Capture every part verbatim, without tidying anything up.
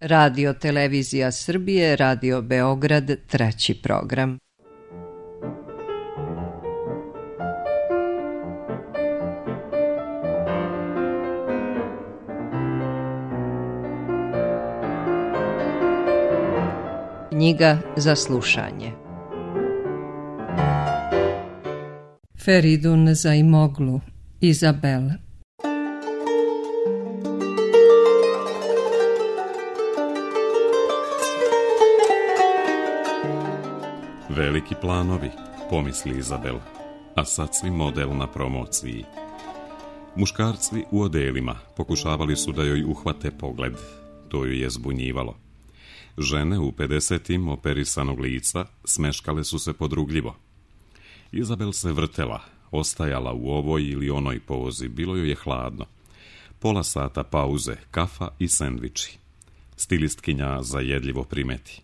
Radio Televizija Srbije, Radio Beograd, treći program. Knjiga za slušanje. Feridun Zaimoglu, Izabel. Veliki planovi, pomisli Izabel, a sad svi model na promociji. Muškarci u odelima pokušavali su da joj uhvate pogled, to ju je zbunjivalo. Žene u pedesetim operisanog lica smeškale su se podrugljivo. Izabel se vrtela, ostajala u ovoj ili onoj pozi, bilo joj je hladno. Pola sata pauze, kafa i sendviči. Stilistkinja zajedljivo primeti: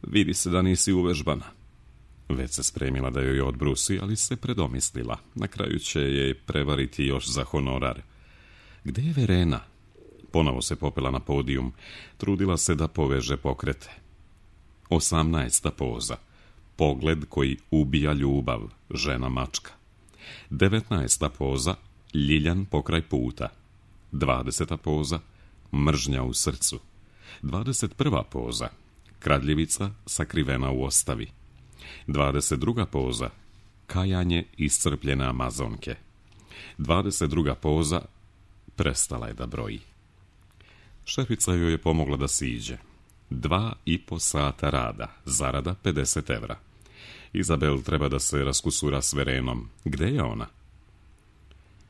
vidi se da nisi uvežbana. Već se spremila da joj odbrusi, ali se predomislila. Na kraju će je prevariti još za honorar. Gde je Verena? Ponovo se popela na podijum. Trudila se da poveže pokrete. Osamnaesta poza. Pogled koji ubija ljubav, žena mačka. Devetnaesta poza. Ljiljan pokraj puta. Dvadeseta poza. Mržnja u srcu. Dvadeset prva poza. Kradljivica sakrivena u ostavi. Dvadeset druga poza. Kajanje iscrpljene Amazonke. Dvadeset druga poza. Prestala je da broji. Šefica joj je pomogla da siđe. Dva i po sata rada, zarada pedeset evra. Izabel treba da se raskusura s Verenom. Gde je ona?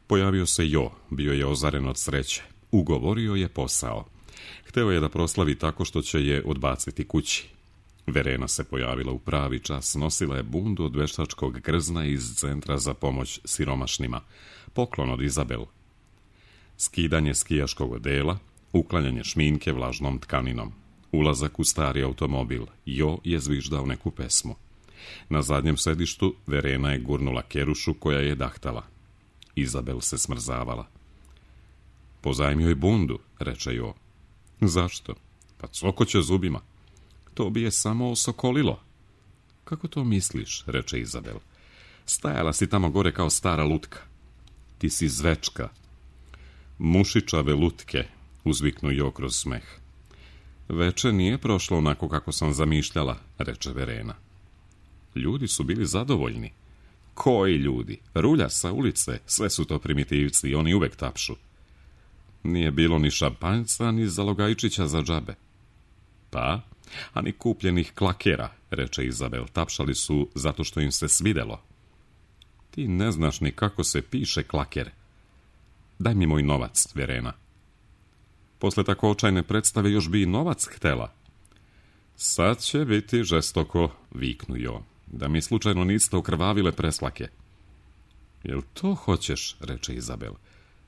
Pojavio se Jo, bio je ozaren od sreće. Ugovorio je posao. Hteo je da proslavi tako što će je odbaciti kući. Verena se pojavila u pravi čas, nosila je bundu od veštačkog grzna iz centra za pomoć siromašnima. Poklon od Izabel. Skidanje skijaškog odela, uklanjanje šminke vlažnom tkaninom. Ulazak u stari automobil. Jo je zviždao neku pesmu. Na zadnjem sedištu Verena je gurnula kerušu koja je dahtala. Izabel se smrzavala. Pozajmi joj bundu, reče Jo. Zašto? Pa cokoće zubima. To bi je samo osokolilo. Kako to misliš, reče Izabel. Stajala si tamo gore kao stara lutka. Ti si zvečka. Mušičave lutke, uzviknu Jo kroz smeh. Veče nije prošlo onako kako sam zamišljala, reče Verena. Ljudi su bili zadovoljni. Koji ljudi? Rulja sa ulice, sve su to primitivci i oni uvek tapšu. Nije bilo ni šampanjca, ni zalogajčića za džabe. Pa, a ni kupljenih klakera, reče Izabel, tapšali su zato što im se svidelo. Ti ne znaš ni kako se piše klaker. Daj mi moj novac, Verena. Posle tako očajne predstave još bi i novac htela. Sad će biti žestoko, viknu Jo, da mi slučajno niste okrvavile preslake. Jel to hoćeš, reče Izabel.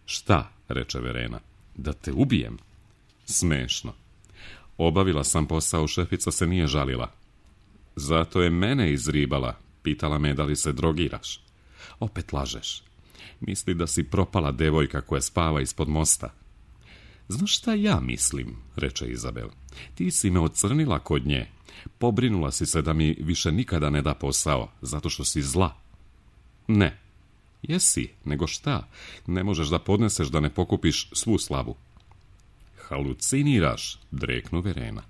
Šta, reče Verena, da te ubijem? Smešno. Obavila sam posao, šefica se nije žalila. Zato je mene izribala, pitala me da li se drogiraš. Opet lažeš. Misli da si propala devojka koja spava ispod mosta. Znaš šta ja mislim, reče Izabel. Ti si me ocrnila kod nje. Pobrinula si se da mi više nikada ne da posao, zato što si zla. Ne. Jesi, nego šta? Ne možeš da podneseš da ne pokupiš svu slavu. Haluciniraš, dreknu Verena.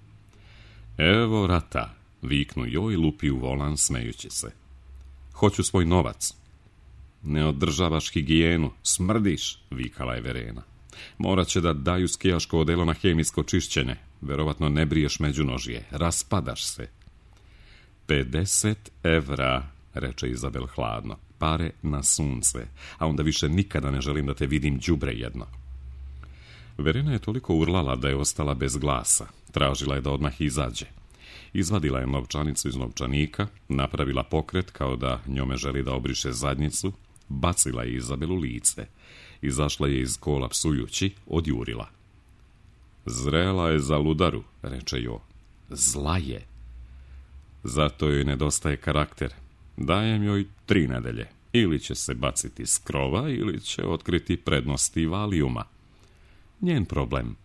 Evo rata, viknu Jo i lupi u volan smejući se. Hoću svoj novac. Ne održavaš higijenu, smrdiš, vikala je Verena. Morat će da daju skijaško odelo na hemijsko čišćenje. Verovatno ne briješ međunožje, raspadaš se. Pedeset evra, reče Izabel hladno. Pare na sunce, a onda više nikada ne želim da te vidim đubre jedno. Verena je toliko urlala da je ostala bez glasa. Tražila je da odmah izađe. Izvadila je novčanicu iz novčanika, napravila pokret kao da njome želi da obriše zadnjicu, bacila je Izabelu lice. Izašla je iz kola psujući, odjurila. Zrela je za ludaru, reče Jo. Zla je. Zato joj nedostaje karakter. Dajem joj tri nedelje. Ili će se baciti s krova, ili će otkriti prednosti valijuma. Njen problem.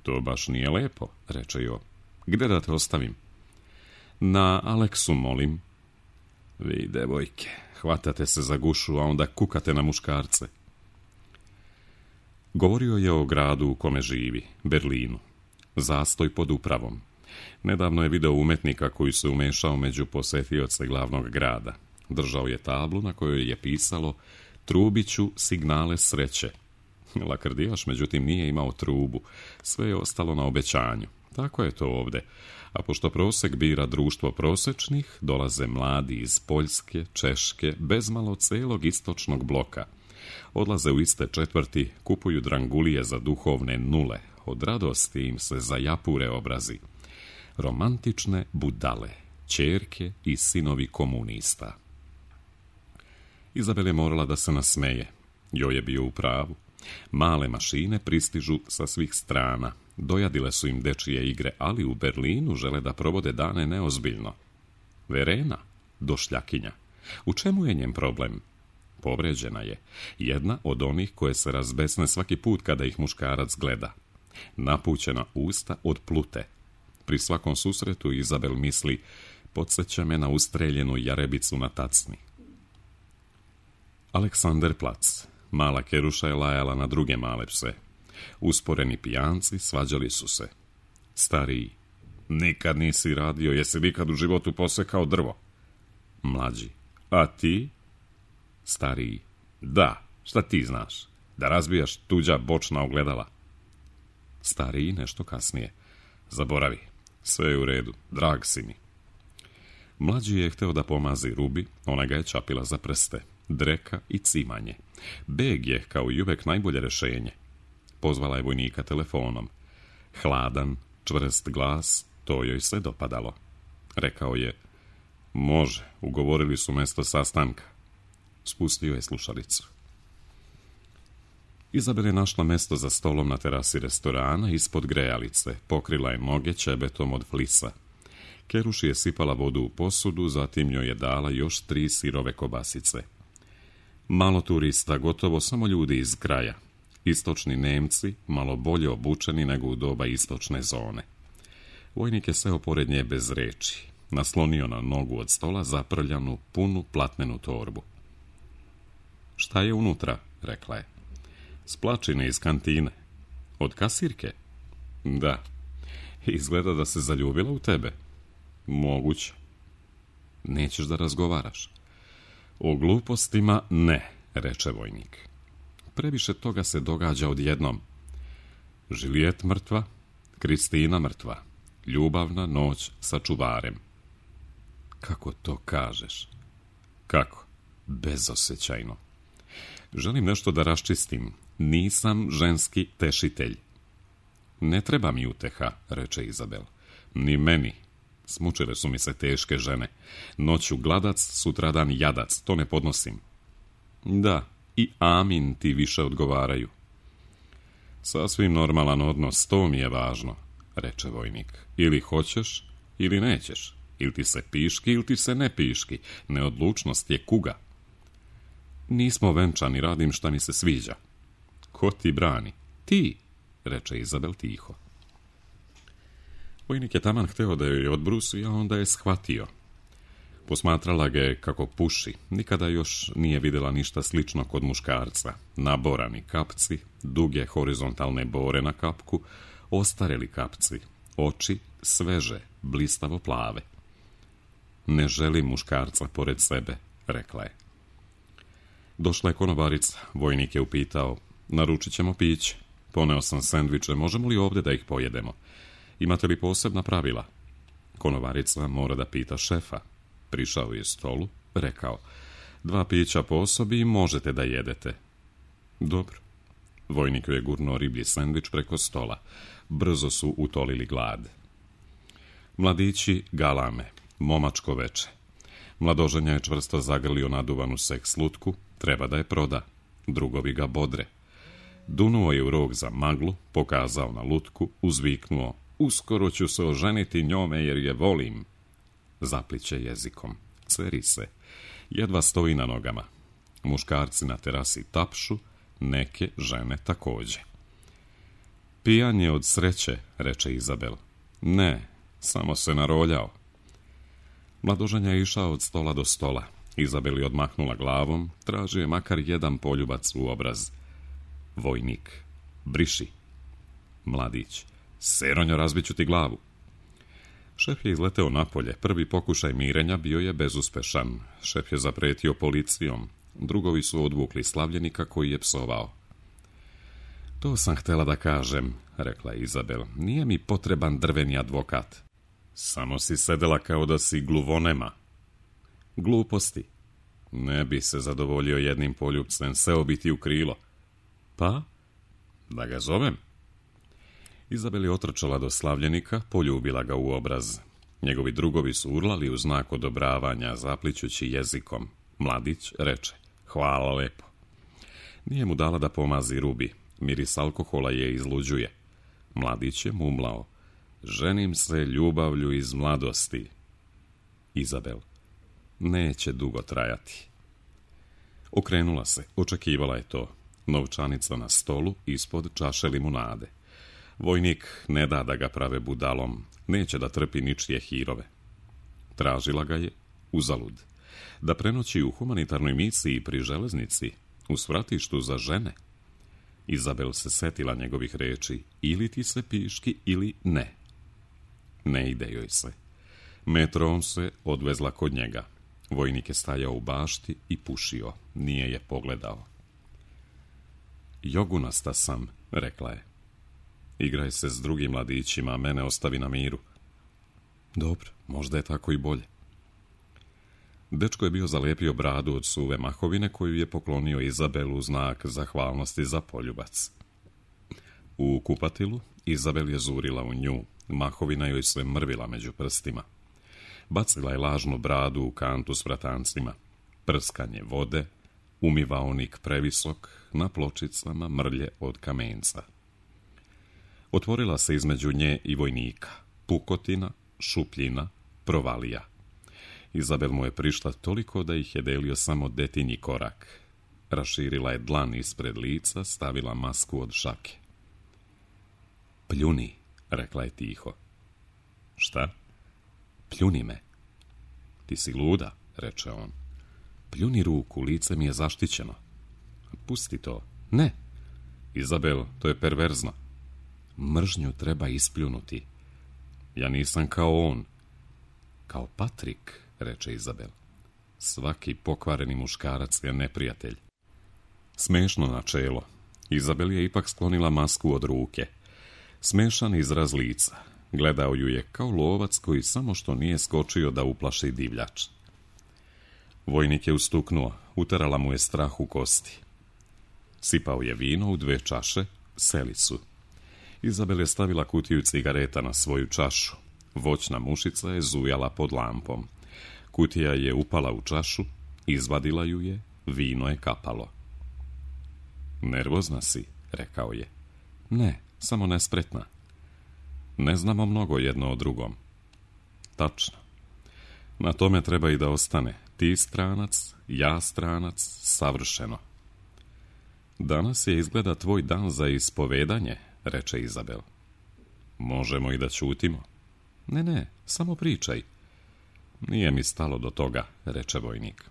To baš nije lepo, reče Jo. Gde da te ostavim? Na Aleksu, molim. Vi, devojke, hvatate se za gušu, a onda kukate na muškarce. Govorio je o gradu u kome živi, Berlinu. Zastoj pod upravom. Nedavno je video umetnika koji se umešao među posetioce glavnog grada. Držao je tablu na kojoj je pisalo Trubiću signale sreće. Lakrdijaš, međutim, nije imao trubu. Sve je ostalo na obećanju. Tako je to ovde. A pošto prosek bira društvo prosečnih, dolaze mladi iz Poljske, Češke, bezmalo celog istočnog bloka. Odlaze u iste četvrti, kupuju drangulije za duhovne nule. Od radosti im se zajapure obrazi. Romantične budale, ćerke i sinovi komunista. Izabel je morala da se nasmeje. Jo je bio u pravu. Male mašine pristižu sa svih strana. Dojadile su im dečije igre, ali u Berlinu žele da provode dane neozbiljno. Verena, došljakinja. U čemu je njen problem? Povređena je. Jedna od onih koje se razbesne svaki put kada ih muškarac gleda. Napućena usta od plute. Pri svakom susretu Izabel misli, podsjeća me na ustreljenu jarebicu na tacni. Aleksanderplac. Mala Keruša je lajala na druge male pse. Usporeni pijanci svađali su se. Stariji. Nikad nisi radio, jesi nikad u životu posekao drvo? Mlađi. A ti? Stariji. Da, šta ti znaš? Da razbijaš tuđa bočna ogledala. Stariji nešto kasnije. Zaboravi, sve je u redu, drag si mi. Mlađi je hteo da pomazi Rubi, ona ga je čapila za prste. Dreka i cimanje. Beg je, kao i uvek, najbolje rešenje. Pozvala je vojnika telefonom. Hladan, čvrst glas, to joj se dopadalo. Rekao je, može, ugovorili su mesto sastanka. Spustio je slušalicu. Izabel je našla mesto za stolom na terasi restorana ispod grejalice, pokrila je noge ćebetom od flisa. Keruši je sipala vodu u posudu, zatim joj je dala još tri sirove kobasice. Malo turista, gotovo samo ljudi iz kraja. Istočni Nemci, malo bolje obučeni nego u doba istočne zone. Vojnik je seo pored nje bez reči. Naslonio na nogu od stola zaprljanu, punu platnenu torbu. Šta je unutra, rekla je. Splačine iz kantine. Od kasirke? Da. Izgleda da se zaljubila u tebe. Moguće. Nećeš da razgovaraš. O glupostima ne, reče vojnik. Previše toga se događa odjednom. Žilijet mrtva, Kristina mrtva. Ljubavna noć sa čuvarem. Kako to kažeš? Kako? Bezosećajno. Želim nešto da raščistim. Nisam ženski tešitelj. Ne treba mi uteha, reče Izabel. Ni meni. Smučile su mi se teške žene. Noću gladac, sutradan jadac. To ne podnosim. Da, i amin ti više odgovaraju. Sasvim normalan odnos, to mi je važno, reče vojnik. Ili hoćeš, ili nećeš. Ili ti se piški, ili ti se ne piški. Neodlučnost je kuga. Nismo venčani, radim šta mi se sviđa. Ko ti brani? Ti, reče Izabel tiho. Vojnik je taman hteo da joj odbrusi, a onda je shvatio. Posmatrala ga je kako puši. Nikada još nije vidjela ništa slično kod muškarca. Naborani kapci, duge horizontalne bore na kapku, ostareli kapci, oči sveže, blistavo plave. Ne želim muškarca pored sebe, rekla je. Došla je konobarica, vojnik je upitao, naručit ćemo piće. Poneo sam sendviče, možemo li ovdje da ih pojedemo? Imate li posebna pravila? Konobarica mora da pita šefa. Prišao je stolu, rekao, dva pića po osobi i možete da jedete. Dobro. Vojnik je gurnuo riblji sendvič preko stola. Brzo su utolili glad. Mladići galame, momačko veče. Mladoženja je čvrsto zagrlio naduvanu seks lutku, treba da je proda. Drugovi ga bodre. Dunuo je u rog za maglu, pokazao na lutku, uzviknuo, uskoro ću se oženiti njome jer je volim. Zapliće jezikom, ceri se, jedva stoji na nogama. Muškarci na terasi tapšu, neke žene takođe. Pijan je od sreće, reče Izabel. Ne, samo se naroljao. Mladoženja je išao od stola do stola. Izabel je odmahnula glavom, tražio je makar jedan poljubac u obraz. Vojnik, briši. Mladić, Seronjo, razbit ću ti glavu. Šef je izleteo napolje. Prvi pokušaj mirenja bio je bezuspešan. Šef je zapretio policijom. Drugovi su odvukli slavljenika koji je psovao. To sam htjela da kažem, rekla Izabel. Nije mi potreban drveni advokat. Samo si sedela kao da si gluvonema. Gluposti. Ne bi se zadovoljio jednim poljubcem, seo bi ti u krilo. Pa? Da ga zovem? Izabel je otrčala do slavljenika, poljubila ga u obraz. Njegovi drugovi su urlali u znak odobravanja, zaplićući jezikom. Mladić reče, hvala lepo. Nije mu dala da pomazi rubi. Miris alkohola je izluđuje. Mladić je mumlao. Ženim se ljubavlju iz mladosti. Izabel, neće dugo trajati. Okrenula se, očekivala je to. Novčanica na stolu, ispod čaše limunade. Vojnik ne da da ga prave budalom, neće da trpi ničije hirove. Tražila ga je uzalud. Da prenoći u humanitarnoj misiji pri železnici, u svratištu za žene. Izabel se setila njegovih reči, ili ti se piški ili ne. Ne ide joj se. Metrom se odvezla kod njega. Vojnik je stajao u bašti i pušio, nije je pogledao. Jogunasta sam, rekla je. Igraj se s drugim mladićima, a mene ostavi na miru. Dobro, možda je tako i bolje. Dečko je bio zalijepio bradu od suve mahovine koju je poklonio Izabelu u znak zahvalnosti za poljubac. U kupatilu Izabel je zurila u nju, mahovina joj se mrvila među prstima. Bacila je lažnu bradu u kantu s vratancima. Prskanje vode, umivaonik previsok, na pločicama mrlje od kamenca. Otvorila se između nje i vojnika. Pukotina, šupljina, provalija. Izabel mu je prišla toliko da ih je delio samo detinji korak. Raširila je dlan ispred lica, stavila masku od šake. Pljuni, rekla je tiho. Šta? Pljuni me. Ti si luda, reče on. Pljuni ruku, lice mi je zaštićeno. Pusti to. Ne. Izabel, to je perverzno. Mržnju treba ispljunuti. Ja nisam kao on. Kao Patrik, reče Izabel. Svaki pokvareni muškarac je neprijatelj. Smešno načelo. Izabel je ipak sklonila masku od ruke. Smešan izraz lica. Gledao ju je kao lovac koji samo što nije skočio da uplaši divljač. Vojnik je ustuknuo, uterala mu je strah u kosti. Sipao je vino u dve čaše, selicu. Izabel je stavila kutiju cigareta na svoju čašu. Voćna mušica je zujala pod lampom. Kutija je upala u čašu, izvadila ju je, vino je kapalo. Nervozna si, rekao je. Ne, samo nespretna. Ne znamo mnogo jedno o drugom. Tačno. Na tome treba i da ostane. Ti stranac, ja stranac, savršeno. Danas je izgleda tvoj dan za ispovedanje, reče Izabel. Možemo i da ćutimo. Ne, ne, samo pričaj. Nije mi stalo do toga, reče vojnik.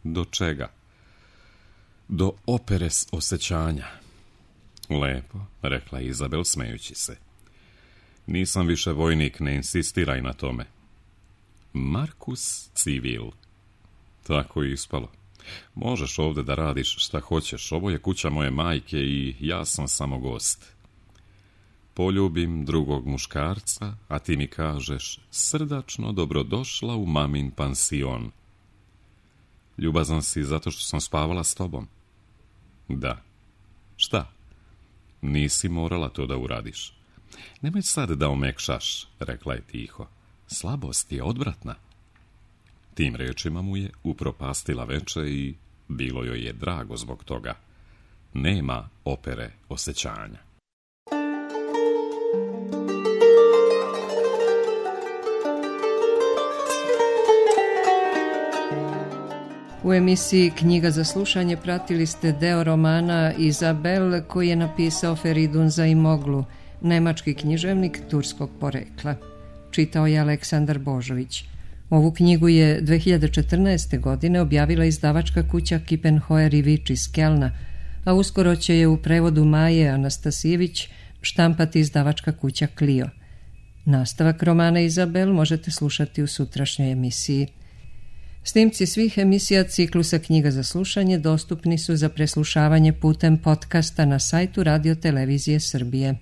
Do čega? Do opere osjećanja. Lepo, rekla Izabel smejući se. Nisam više vojnik, ne insistiraj na tome. Markus Civil. Tako je ispalo. Možeš ovdje da radiš šta hoćeš, ovo je kuća moje majke i ja sam samo gost. Poljubim drugog muškarca, a ti mi kažeš srdačno dobrodošla u mamin pansion. Ljubazan si zato što sam spavala s tobom? Da. Šta? Nisi morala to da uradiš. Nemoj sad da omekšaš, rekla je tiho. Slabost je odvratna. Tim rečima mu je upropastila veče i bilo joj je drago zbog toga. Nema opere osjećanja. U emisiji Knjiga za slušanje pratili ste deo romana Izabel koji je napisao Feridun Zaimoglu. nemački književnik turskog porekla. Čitao je Aleksandar Božović. Ovu knjigu je dve hiljade četrnaeste. godine objavila izdavačka kuća Kiepenheuer i Vič iz Kelna, a uskoro će je u prevodu Maje Anastasijević štampati izdavačka kuća Clio. Nastavak romana Izabel možete slušati u sutrašnjoj emisiji. Snimci svih emisija ciklusa Knjiga za slušanje dostupni su za preslušavanje putem podcasta na sajtu Radio Televizije Srbije.